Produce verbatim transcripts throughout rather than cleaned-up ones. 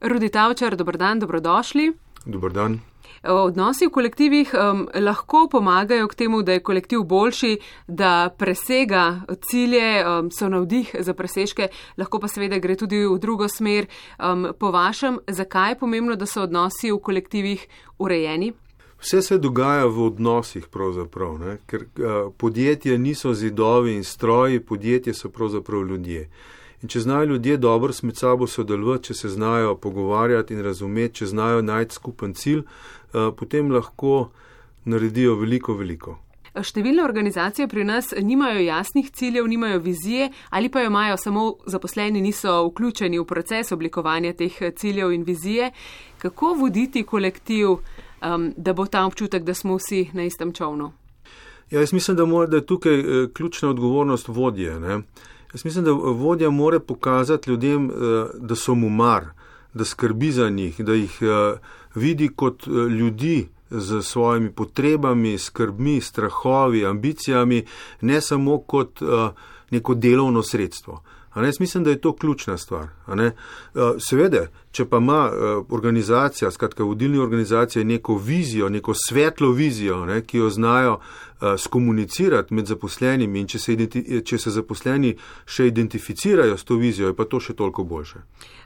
Rudi Tavčar, dober dan, dobrodošli. Dober dan. Odnosi v kolektivih um, lahko pomagajo k temu, da je kolektiv boljši, da presega cilje, um, so navdih za presežke, lahko pa seveda gre tudi v drugo smer. Um, po vašem, zakaj je pomembno, da so odnosi v kolektivih urejeni? Vse se dogaja v odnosih pravzaprav, ne? Ker uh, podjetje niso zidovi in stroji, podjetje so pravzaprav ljudje. In če znajo ljudje dobro med sabo sodelovati, če se znajo pogovarjati in razumeti, če znajo najti skupen cilj, uh, potem lahko naredijo veliko, veliko. Številne organizacije pri nas nimajo jasnih ciljev, nimajo vizije ali pa jo imajo samo zaposleni, niso vključeni v proces oblikovanja teh ciljev in vizije. Kako voditi kolektiv, um, da bo ta občutek, da smo vsi na istem čovnu? Ja, jaz mislim, da, mora, da je tukaj eh, ključna odgovornost vodje, ne? Jaz mislim, da vodja mora pokazati ljudem, da so mu mar, da skrbi za njih, da jih vidi kot ljudi z svojimi potrebami, skrbmi, strahovi, ambicijami, ne samo kot neko delovno sredstvo. Jaz mislim, da je to ključna stvar. Seveda, če pa ima organizacija, skratka vodilna organizacija, neko vizijo, neko svetlo vizijo, ne, ki jo znajo skomunicirati med zaposlenimi in če se, če se zaposleni še identificirajo s to vizijo, je pa to še toliko boljše.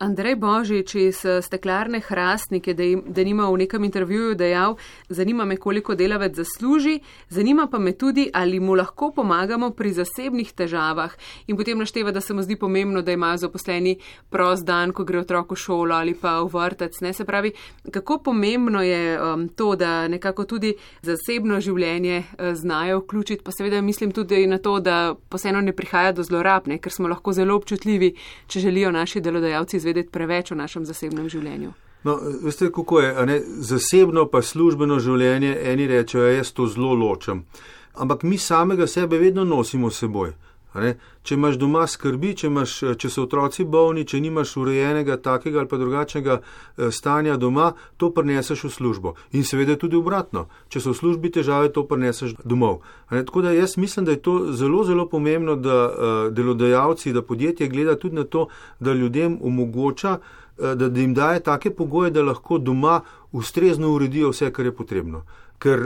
Andrej Božič iz Steklarne Hrastnik je denimo v nekem intervjuju dejal: zanima me, koliko delavec zasluži, zanima pa me tudi, ali mu lahko pomagamo pri zasebnih težavah. In potem našteva, da se mu zdi pomembno, da imajo zaposleni prost dan, ko gre otrok v šolo ali pa v vrtec. Ne? Se pravi, kako pomembno je um, to, da nekako tudi zasebno življenje uh, znajo vključiti, pa seveda mislim tudi na to, da posebno ne prihaja do zlorab, ne? Ker smo lahko zelo občutljivi, če želijo naši delodajalci izvedeti preveč o našem zasebnem življenju. No, veste, kako je, a ne, zasebno pa službeno življenje, eni rečejo, jaz to zelo ločem. Ampak mi samega sebe vedno nosimo s seboj. Če imaš doma skrbi, če, imaš, če so otroci bolni, če nimaš urejenega takega ali pa drugačnega stanja doma, to prineseš v službo. In seveda tudi obratno. Če so v službi težave, to prineseš domov. Tako da jaz mislim, da je to zelo, zelo pomembno, da delodajalci, da podjetje gleda tudi na to, da ljudem omogoča, da jim daje take pogoje, da lahko doma ustrezno uredijo vse, kar je potrebno. Ker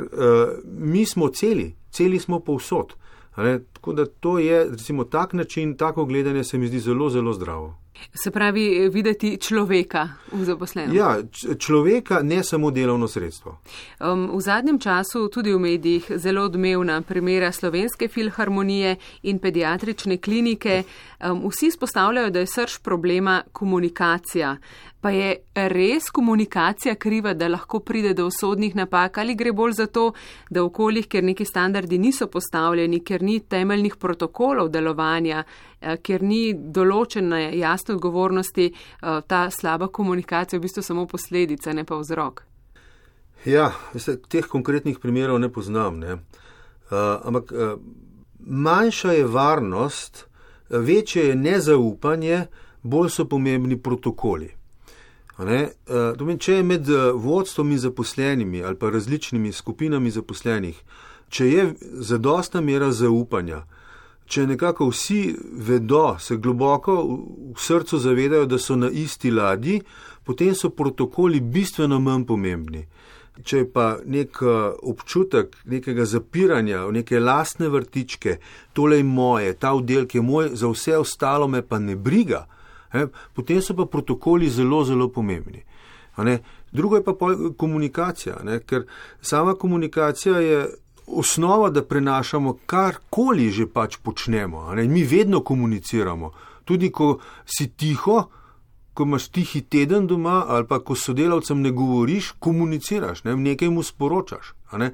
mi smo celi, celi smo povsod. Tako da to je, recimo, tak način, tako gledanje se mi zdi zelo, zelo zdravo. Se pravi, videti človeka v zaposlenem. Ja, človeka, ne samo delovno sredstvo. Um, v zadnjem času tudi v medijih zelo odmevna primera Slovenske filharmonije in pediatrične klinike. Um, vsi izpostavljajo, da je srž problema komunikacija. Pa je res komunikacija kriva, da lahko pride do usodnih napak, ali gre bolj za to, da v okoljih, ker neki standardi niso postavljeni, ker ni temeljnih protokolov delovanja, ker ni določene jasne odgovornosti, ta slaba komunikacija v bistvu samo posledica, ne pa vzrok? Ja, veste, teh konkretnih primerov ne poznam, ne. Uh, ampak uh, manjša je varnost, večje je nezaupanje, bolj so pomembni protokoli. Ne? Če je med vodstvom in zaposlenimi ali pa različnimi skupinami zaposlenih, če je zadostna mera zaupanja, če nekako vsi vedo, se globoko v srcu zavedajo, da so na isti ladji, potem so protokoli bistveno manj pomembni. Če je pa nek občutek nekega zapiranja, neke lastne vrtičke, tole je moje, ta oddelek je moj, za vse ostalo me pa ne briga, He, potem so pa protokoli zelo, zelo pomembni. Drugo je pa komunikacija, ne? Ker sama komunikacija je osnova, da prenašamo karkoli že pač počnemo. Mi vedno komuniciramo. Tudi ko si tiho, ko imaš tihi teden doma ali pa ko sodelavcem ne govoriš, komuniciraš, ne? Nekaj mu sporočaš. Ne?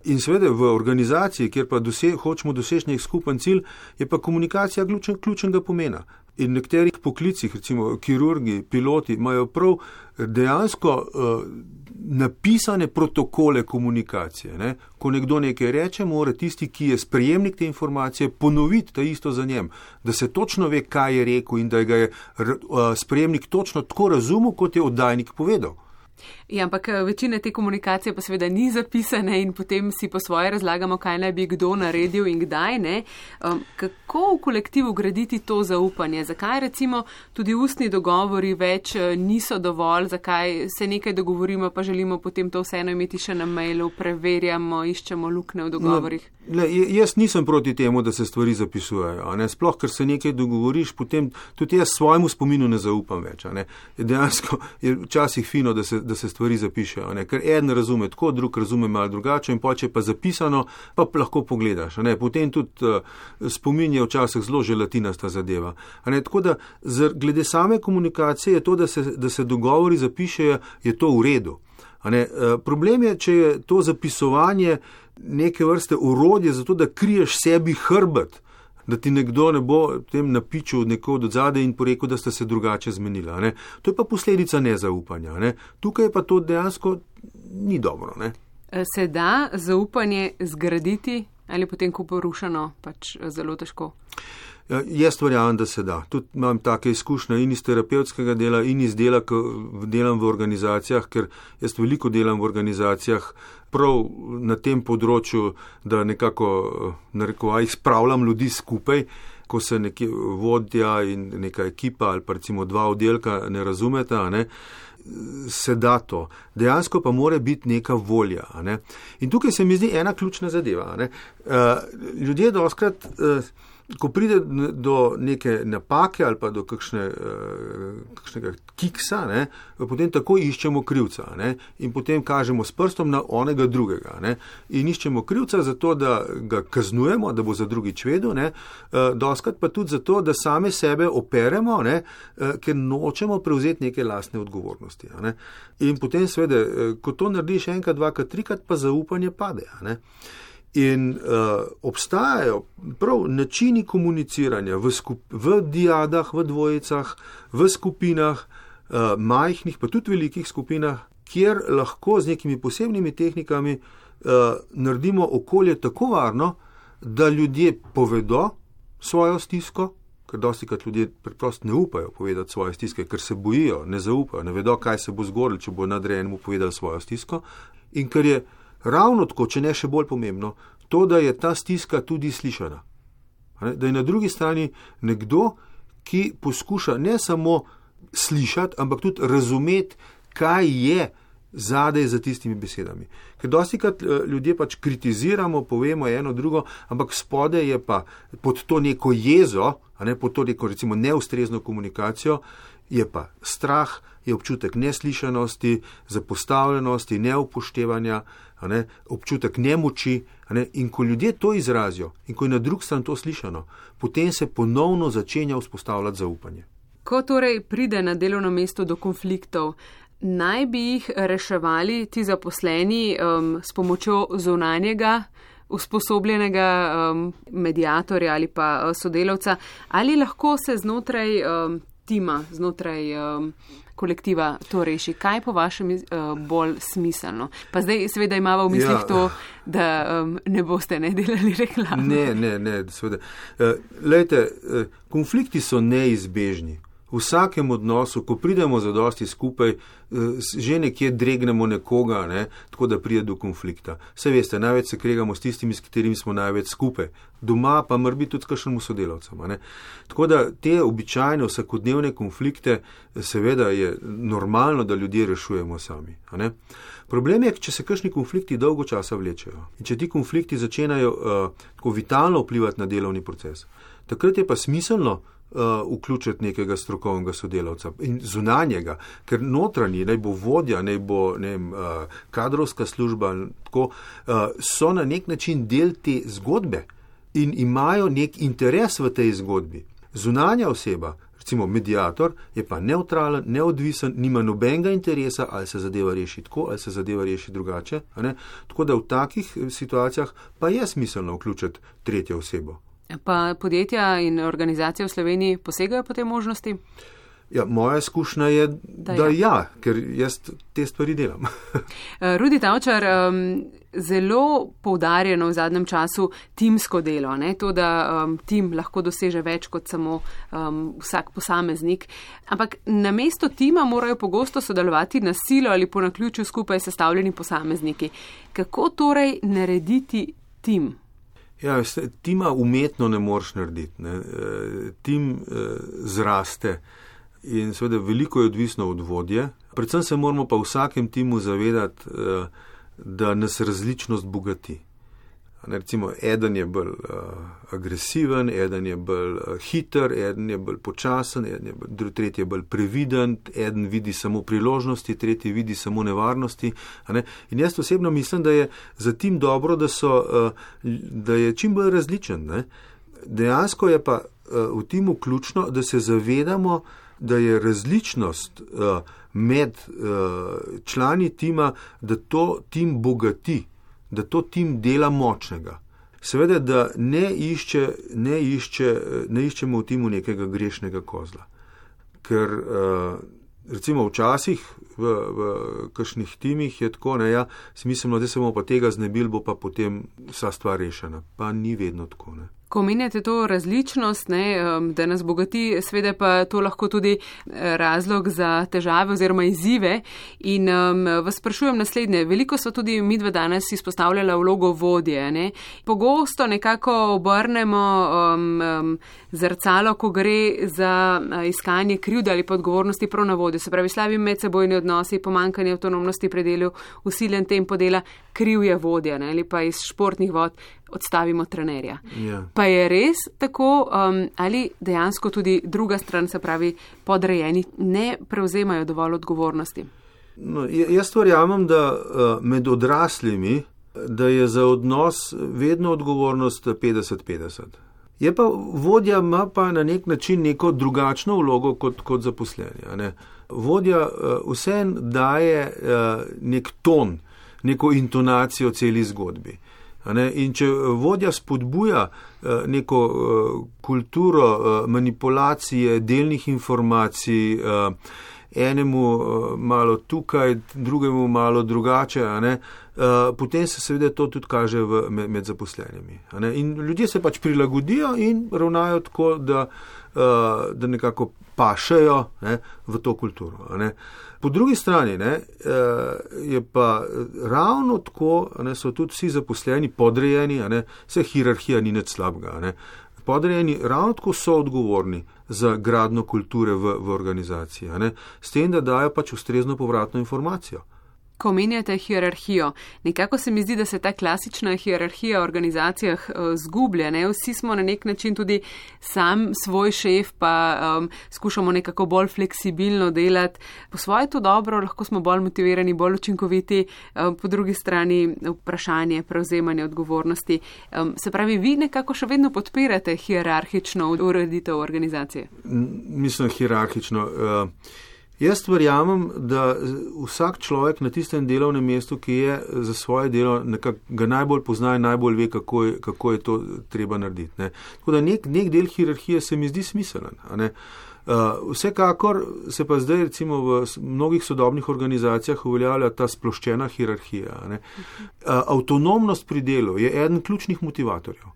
In seveda v organizaciji, kjer pa dose, hočemo doseči nek skupen cilj, je pa komunikacija ključen, ključnega pomena. In v nekaterih poklicih, recimo kirurgi, piloti, imajo prav dejansko uh, napisane protokole komunikacije. Ne? Ko nekdo nekaj reče, mora tisti, ki je sprejemnik te informacije, ponoviti ta isto za njem, da se točno ve, kaj je rekel in da ga je uh, sprejemnik točno tako razumel, kot je oddajnik povedal. Ja, ampak večina te komunikacije pa seveda ni zapisane in potem si po svoje razlagamo, kaj naj bi kdo naredil in kdaj ne. Um, kako v kolektivu graditi to zaupanje? Zakaj recimo tudi ustni dogovori več niso dovolj, zakaj se nekaj dogovorimo, pa želimo potem to vseeno imeti še na mailu, preverjamo, iščemo luknje v dogovorih? No, le, jaz nisem proti temu, da se stvari zapisujejo. A ne? Sploh, ker se nekaj dogovoriš, potem tudi jaz svojemu spominu ne zaupam več. A ne? Dejansko je včasih fino, da se da se stvari zapišejo, ne? Ker eden razume tako, drug razume malo drugače in poče pa zapisano, pa lahko pogledaš. Ne? Potem tudi uh, spomin je včasih zelo želatinasta zadeva. Ne? Tako da glede same komunikacije je to, da se, da se dogovori zapišejo, je to v redu. Ne? Uh, problem je, če je to zapisovanje neke vrste orodje za to, da kriješ sebi hrbet, da ti nekdo ne bo tem napičil nekod od zadaj in porekel, da sta se drugače zmenila. Ne? To je pa posledica nezaupanja. Ne? Tukaj pa to dejansko ni dobro. Ne? Se da zaupanje zgraditi ali potem, ko porušeno, pač zelo težko? Jaz verjamem, da se da. Tudi imam take izkušnje in iz terapevtskega dela in iz dela, ko delam v organizacijah, ker jaz veliko delam v organizacijah prav na tem področju, da nekako, narekovaj, spravljam ljudi skupaj, ko se nekje vodja in neka ekipa ali pa recimo dva oddelka ne razumeta, ne, se da to. Dejansko pa mora biti neka volja. Ne. In tukaj se mi zdi ena ključna zadeva. Ne. Ljudje dostkrat, ko pride do neke napake ali pa do kakšne, kakšnega kiksa, ne, potem tako iščemo krivca, ne, in potem kažemo s prstom na onega drugega. Ne, in iščemo krivca zato, da ga kaznujemo, da bo za drugič vedel, ne, dostkrat pa tudi zato, da same sebe operemo, ne, ker nočemo prevzeti neke lastne odgovornosti. Ne. In potem seveda, ko to narediš enkrat, dvakrat, trikrat, pa zaupanje pade. Ne. In uh, obstajajo prav načini komuniciranja v, skup, v diadah, v dvojicah, v skupinah, uh, majhnih, pa tudi velikih skupinah, kjer lahko z nekimi posebnimi tehnikami uh, naredimo okolje tako varno, da ljudje povedo svojo stisko, ker dostikrat ljudje preprosto ne upajo povedati svoje stiske, ker se bojijo, ne zaupajo, ne vedo, kaj se bo zgodilo, če bo nadrejenemu povedal svojo stisko. In ker je ravno tako, če ne še bolj pomembno, to, da je ta stiska tudi slišana. Da je na drugi strani nekdo, ki poskuša ne samo slišati, ampak tudi razumeti, kaj je zadaj za tistimi besedami. Ker dostikrat ljudje pač kritiziramo, povemo eno drugo, ampak spode je pa pod to neko jezo, a ne pod to neko recimo neustrezno komunikacijo, je pa strah, je občutek neslišanosti, zapostavljenosti, neupoštevanja, a ne, občutek nemoči, a ne, in ko ljudje to izrazijo in ko je na drug stran to slišano, potem se ponovno začenja vzpostavljati zaupanje. Ko torej pride na delovno mesto do konfliktov, naj bi jih reševali ti zaposleni um, s pomočjo zunanjega usposobljenega um, mediatorja ali pa uh, sodelavca, ali lahko se znotraj um, tima, znotraj um, kolektiva to reši? Kaj po vašem uh, bolj smiselno? Pa zdaj seveda imamo v mislih ja. to, da um, ne boste ne delali reklame. Ne, ne, ne, seveda. Uh, lejte, uh, konflikti so neizbežni. V vsakem odnosu, ko pridemo zadosti skupaj, že nekje dregnemo nekoga, ne, tako da pride do konflikta. Saj veste, največ se kregamo s tistimi, s katerimi smo največ skupaj. Doma pa mora biti tudi s kakšnemu sodelavcem. Ne. Tako da te običajne vsakodnevne konflikte, seveda je normalno, da ljudje rešujemo sami. Ne. Problem je, če se kakšni konflikti dolgo časa vlečejo in če ti konflikti začenajo uh, tako vitalno vplivati na delovni proces, takrat je pa smiselno Uh, vključiti nekega strokovnega sodelavca in zunanjega, ker notranji, naj bo vodja, naj bo ne vem, uh, kadrovska služba, tako, uh, so na nek način del te zgodbe in imajo nek interes v tej zgodbi. Zunanja oseba, recimo mediator, je pa neutralen, neodvisen, nima nobenega interesa, ali se zadeva reši tako, ali se zadeva reši drugače. Ne? Tako da v takih situacijah pa je smiselno vključiti tretjo osebo. Pa podjetja in organizacije v Sloveniji posegajo po tej možnosti? Ja, moja izkušnja je, da, da ja. ja, ker jaz te stvari delam. Rudi Tavčar, um, zelo poudarjeno v zadnjem času timsko delo, ne? To, da um, tim lahko doseže več kot samo um, vsak posameznik. Ampak namesto tima morajo pogosto sodelovati na silo ali po naključju skupaj sestavljeni posamezniki. Kako torej narediti tim? Ja, tima umetno ne moreš narediti. Ne? Tim zraste. In seveda veliko je odvisno od vodje. Predvsem se moramo pa v vsakem timu zavedati, da nas različnost bogati. Recimo, eden je bolj agresiven, eden je bolj hiter, eden je bolj počasen, eden je bolj, tretji je bolj previden, eden vidi samo priložnosti, tretji vidi samo nevarnosti. In jaz osebno mislim, da je za tim dobro, da, so, da je čim bolj različen. Ne? Dejansko je pa v timu ključno, da se zavedamo, da je različnost uh, med uh, člani tima, da to tim bogati, da to tim dela močnega. Seveda, da ne, išče, ne, išče, ne iščemo v timu nekega grešnega kozla. Ker uh, recimo včasih v, v kakšnih timih je tako, ne, ja, smiselno, da se bomo pa tega znebili, bo pa potem vsa stvar rešena. Pa ni vedno tako, ne. Ko omenjate to različnost, ne, da nas bogati, sveda pa to lahko tudi razlog za težave oziroma izzive. In um, vas sprašujem naslednje. Veliko so tudi midva danes izpostavljala vlogo vodje. Ne. Pogosto nekako obrnemo um, um, zrcalo, ko gre za iskanje krivde ali pa odgovornosti prav na vodjo. Se pravi, slabi medsebojni odnosi, pomanjkanje avtonomnosti pri delu, usiljen tempo dela, kriv je vodja, ne, ali pa iz športnih vod odstavimo trenerja. Ja. Pa je res tako, um, ali dejansko tudi druga stran, se pravi podrejeni, ne prevzemajo dovolj odgovornosti? No, jaz verjamem, da med odraslimi, da je za odnos vedno odgovornost petdeset petdeset. Je pa vodja ima pa na nek način neko drugačno vlogo kot, kot zaposleni. Ne? Vodja vseeno daje nek ton, neko intonacijo celi zgodbi. In če vodja spodbuja neko kulturo manipulacije, delnih informacij, enemu malo tukaj, drugemu malo drugače, ne, potem se seveda to tudi kaže v, med, med zaposlenimi. In ljudje se pač prilagodijo in ravnajo tako, da, da nekako pašejo, ne, v to kulturo. Ne. Po drugi strani, ne, je pa ravno tako, ne, so tudi vsi zaposleni podrejeni, ne, vse hierarhija ni nič slabega. Ne. Podrejeni ravno tako so odgovorni za gradno kulture v, v organizaciji, ne, s tem, da dajo pač ustrezno povratno informacijo. Ko omenjate hierarhijo, nekako se mi zdi, da se ta klasična hierarhija v organizacijah uh, zgublja. Ne? Vsi smo na nek način tudi sam svoj šef, pa um, skušamo nekako bolj fleksibilno delati. Po svoje to dobro, lahko smo bolj motivirani, bolj učinkoviti, um, po drugi strani vprašanje prevzemanja odgovornosti. Um, se pravi, vi nekako še vedno podpirate hierarhično ureditev organizacije? Mislim, hierarhično. Uh... Jaz verjamem, da vsak človek na tistem delovnem mestu, ki je za svoje delo, nekak, ga najbolj pozna in najbolj ve, kako je, kako je to treba narediti. Ne. Tako da nek, nek del hierarhije se mi zdi smiselen. Uh, vsekakor se pa zdaj recimo v mnogih sodobnih organizacijah uveljavlja ta sploščena hierarhija. Ne. Uh, avtonomnost pri delu je eden ključnih motivatorjev.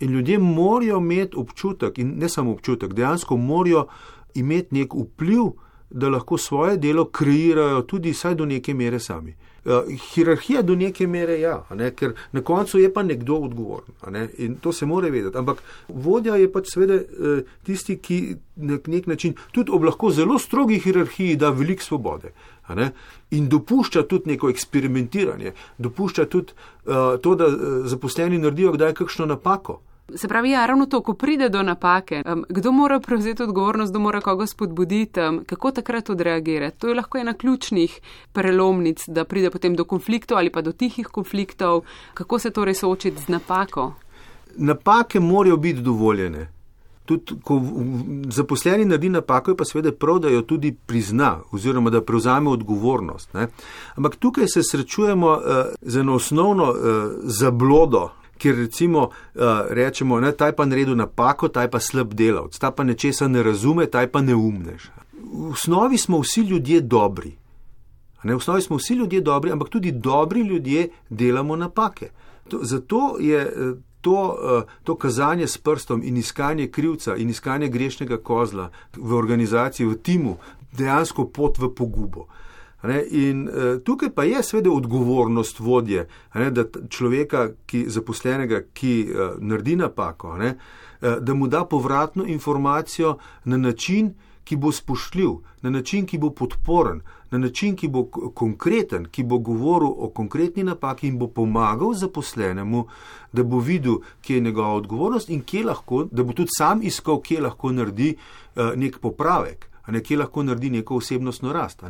In ljudje morajo imeti občutek, in ne samo občutek, dejansko morajo imeti nek vpliv, da lahko svoje delo kreirajo tudi vsaj do neke mere sami. Uh, hierarhija do neke mere ja, ne, ker na koncu je pa nekdo odgovoren, ne, in to se mora vedeti. Ampak vodja je pač seveda uh, tisti, ki na nek način tudi ob lahko zelo strogi hierarhiji da veliko svobode, ne, in dopušča tudi neko eksperimentiranje, dopušča tudi uh, to, da uh, zaposleni naredijo kdaj kakšno napako. Se pravi, ja, ravno to, ko pride do napake, um, kdo mora prevzeti odgovornost, kdo mora koga spodbuditi, um, kako takrat odreagirati. To je lahko ena ključnih prelomnic, da pride potem do konfliktov ali pa do tihih konfliktov. Kako se torej soočiti z napako? Napake morajo biti dovoljene. Tudi, ko zaposleni naredi napako, je pa seveda prav, da jo tudi prizna oziroma da prevzame odgovornost. Ne? Ampak tukaj se srečujemo uh, z eno osnovno uh, zablodo, kjer recimo uh, rečemo, ne, taj pa naredil napako, taj pa slab delavc, taj pa nečesa ne razume, taj pa neumnež. v osnovi smo vsi ljudje dobri. Ne, v osnovi smo vsi ljudje dobri, ampak tudi dobri ljudje delamo napake. To, zato je to, to kazanje s prstom in iskanje krivca in iskanje grešnega kozla v organizaciji, v timu, dejansko pot v pogubo. Ne, in tukaj pa je seveda odgovornost vodje, ne, da človeka, ki, zaposlenega, ki naredi napako, ne, da mu da povratno informacijo na način, ki bo spoštljiv, na način, ki bo podporen, na način, ki bo konkreten, ki bo govoril o konkretni napaki in bo pomagal zaposlenemu, da bo videl, kje je njegova odgovornost in kje lahko, da bo tudi sam iskal, kje lahko naredi uh, nek popravek, a ne, kje lahko naredi neko osebnostno rast.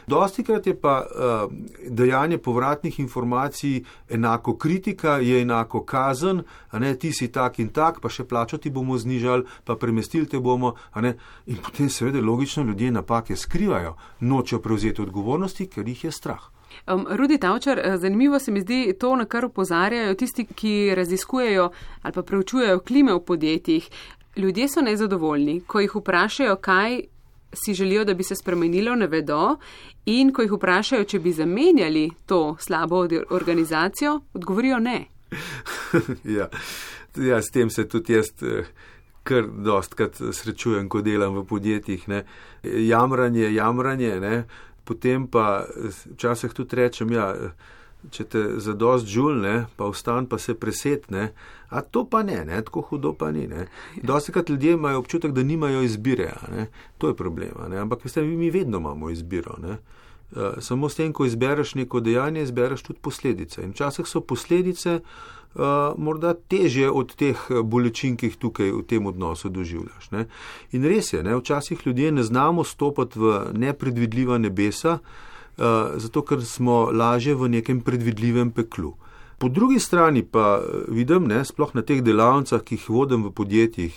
Dostikrat je pa uh, dajanje povratnih informacij enako kritika, je enako kazen, a ne, ti si tak in tak, pa še plačo ti bomo znižali, pa premestili te bomo, a ne, in potem seveda logično ljudje napake skrivajo, nočejo prevzeti odgovornosti, ker jih je strah. Um, Rudi Tavčar, zanimivo se mi zdi to, na kar opozarjajo tisti, ki raziskujejo ali pa preučujejo klime v podjetjih. Ljudje so nezadovoljni, ko jih vprašajo, kaj si želijo, da bi se spremenilo, ne vedo, in ko jih vprašajo, če bi zamenjali to slabo organizacijo, odgovorijo ne. ja, ja, s tem se tudi jaz kar dostkrat srečujem, ko delam v podjetjih. Ne. Jamranje, jamranje, ne. Potem pa včasih tudi rečem, ja, če te zadost žul, ne, pa vstan, pa se preset, ne, a to pa ne, ne, tako hudo pa ni. Ne. Dostikrat ljudje imajo občutek, da nimajo izbire, ne. To je problema, ne. Ampak veste, mi vedno imamo izbiro. Ne. Samo s tem, ko izbereš neko dejanje, izbereš tudi posledice. In včasih so posledice uh, morda težje od teh bolečin, ki jih tukaj v tem odnosu doživljaš. Ne. In res je, ne, včasih ljudje ne znamo stopati v nepredvidljiva nebesa, uh, zato ker smo lažje v nekem predvidljivem peklu. Po drugi strani pa vidim, ne, sploh na teh delavnicah, ki jih vodim v podjetjih,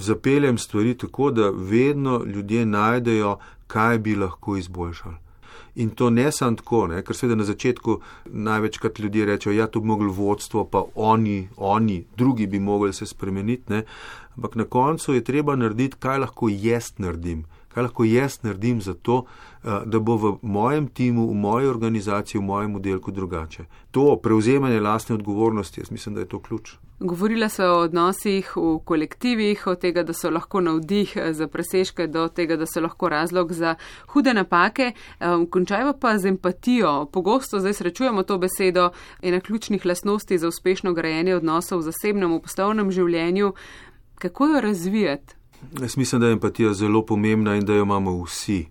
zapeljem stvari tako, da vedno ljudje najdejo, kaj bi lahko izboljšali. In to ne samo tako, ne, ker seveda na začetku največkrat ljudje rečejo, ja, to bi mogli vodstvo, pa oni, oni, drugi bi mogli se spremeniti, ne. Ampak na koncu je treba narediti, kaj lahko jaz naredim. Kaj lahko jaz naredim za to, da bo v mojem timu, v moji organizaciji, v mojem oddelku drugače. To prevzemanje lastne odgovornosti, jaz mislim, da je to ključ. Govorila se o odnosih v kolektivih, od tega, da so lahko navdih za presežke, do tega, da so lahko razlog za hude napake. Končajmo pa z empatijo. Pogosto zdaj srečujemo to besedo, ena ključnih lastnosti za uspešno grajenje odnosov v zasebnem, v poslovnem življenju. Kako jo razvijati? Jaz mislim, da je empatija zelo pomembna in da jo imamo vsi.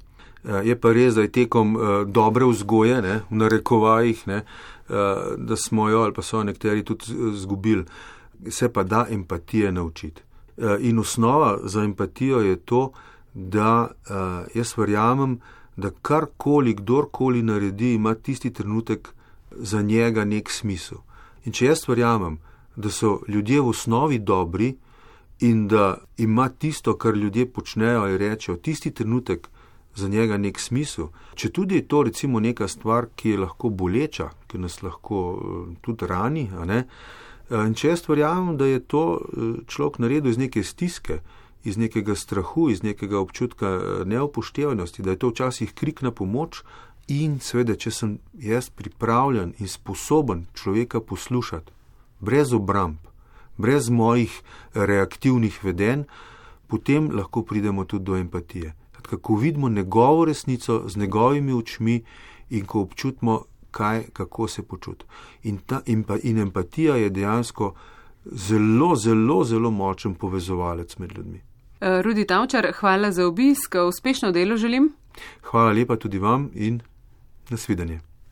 Je pa res, da je tekom dobre vzgoje, ne, v narekovajih, ne, da smo jo ali pa so nekateri tudi zgubili. Se pa da empatije naučiti. In osnova za empatijo je to, da jaz verjamem, da karkoli, kdorkoli naredi, ima tisti trenutek za njega nek smisel. In če jaz verjamem, da so ljudje v osnovi dobri in da ima tisto, kar ljudje počnejo ali rečejo, tisti trenutek za njega nek smisel, če tudi je to recimo neka stvar, ki je lahko boleča, ki nas lahko tudi rani, a ne, in če jaz verjamem, da je to človek naredil iz neke stiske, iz nekega strahu, iz nekega občutka neupoštevanosti, da je to včasih krik na pomoč in seveda, če sem jaz pripravljen in sposoben človeka poslušati, brez obramb, brez mojih reaktivnih vedenj, potem lahko pridemo tudi do empatije. Ko vidimo njegovo resnico z njegovimi očmi in ko občutimo, kaj, kako se počuti. In, ta, in, pa, in empatija je dejansko zelo, zelo, zelo močen povezovalec med ljudmi. Rudi Tavčar, hvala za obisk, uspešno delo želim. Hvala lepa tudi vam in nasvidenje.